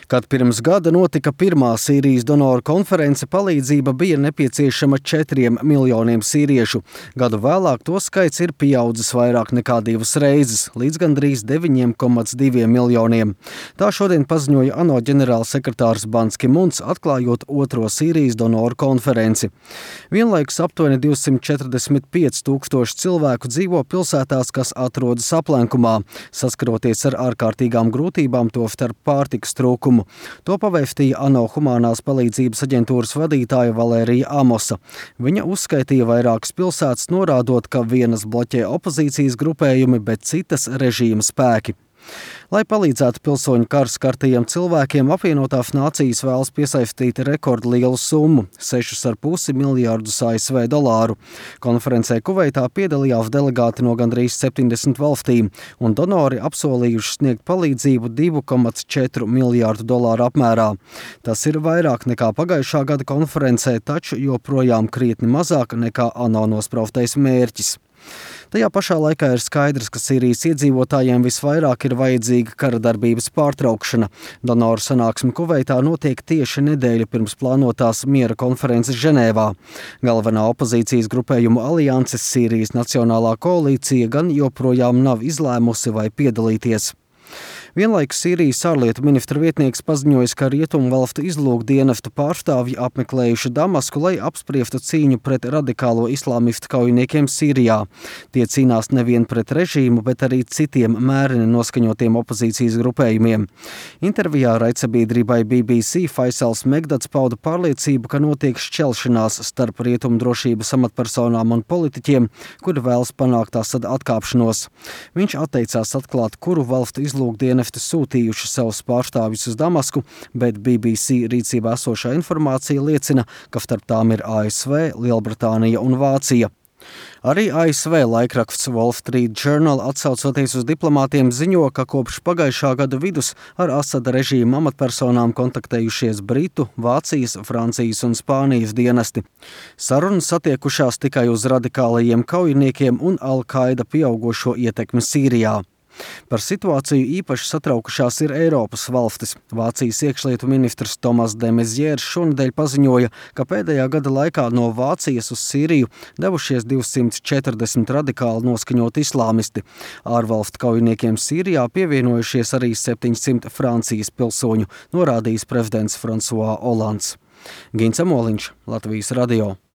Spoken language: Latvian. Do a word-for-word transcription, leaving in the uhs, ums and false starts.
Kad pirms gada notika pirmā Sīrijas donoru konference, palīdzība bija nepieciešama četriem miljoniem sīriešu. Gadu vēlāk to skaits ir pieaudzis vairāk nekā divas reizes, līdz gandrīz deviņiem komats diviem miljoniem. Tā šodien paziņoja ANO ģenerālsekretārs Bans Ki Muns, atklājot otro Sīrijas donoru konferenci. Vienlaikus aptuveni divsimt četrdesmit pieci tūkstoši cilvēku dzīvo pilsētās, kas atrodas aplenkumā, saskaroties ar ārkārtīgām grūtībām, tostarp pārtikas trūkumu. To pavēstīja ANO humānās palīdzības aģentūras vadītāja Valērija Amosa. Viņa uzskaitīja vairākas pilsētas, norādot, ka vienas bloķē opozīcijas grupējumi, bet citas režīma spēki. Lai palīdzētu pilsoņu kara skartajiem cilvēkiem, apvienotās nācijas vēlas piesaistīt rekordlielu summu – sešus ar pusi miljārdus A S V dolāru. Konferencē Kuveitā piedalījās delegāti no gandrīz septiņdesmit valstīm, un donori apsolījuši sniegt palīdzību divu komats četru miljārdu dolāru apmērā. Tas ir vairāk nekā pagājušā gada konferencē, taču joprojām krietni mazāk nekā ANO nospraustais mērķis. Tajā pašā laikā ir skaidrs, ka Sīrijas iedzīvotājiem visvairāk ir vajadzīga kara darbības pārtraukšana. Donoru sanāksme Kuveitā notiek tieši nedēļu pirms plānotās miera konferences Ženēvā. Galvenā opozīcijas grupējuma alianses Sīrijas Nacionālā koalīcija gan joprojām nav izlēmusi vai piedalīties. Vienlaikus Sīrijas ārlietu ministra vietnieks paziņojis, ka rietumu valstu izlūkdienestu pārstāvji apmeklējuši Damasku, lai apspriestu cīņu pret radikālo islāmistu kaujiniekiem Sīrijā. Tie cīnās nevien pret režīmu, bet arī citiem mēreni noskaņotiem opozīcijas grupējumiem. Intervijā raidsabiedrībai B B C Faisals Megdads pauda pārliecību, ka notiek šķelšanās starp rietumu drošības amatpersonām un politiķiem, kuri vēlas panākt tās atkāpšanos. Viņš atteicās atklāt, kuru valstu izlūkdienestu sūtījuši savus pārstāvjus uz Damasku, bet B B C rīcībā esošā informācija liecina, ka starp tām ir A S V, Lielbritānija un Vācija. Arī A S V laikraksts Wall Street Journal, atsaucoties uz diplomātiem, ziņo, ka kopš pagājušā gada vidus ar Asada režīma amatpersonām kontaktējušies Britu, Vācijas, Francijas un Spānijas dienesti. Sarunas attiekušās tikai uz radikālajiem kaujiniekiem un Al-Qaida pieaugošo ietekmi Sīrijā. Par situāciju īpaši satraukušās ir Eiropas valstis. Vācijas iekšlietu ministrs Tomas de Maizière šonedēļ paziņoja, ka pēdējā gada laikā no Vācijas uz Sīriju devušies divsimt četrdesmit radikāli noskaņoti islāmisti. Ārvalstu kaujiniekiem Sīrijā pievienojušies arī septiņsimt Francijas pilsoņu, norādījis prezidents François Hollands. Gins Amoliņš, Latvijas radio.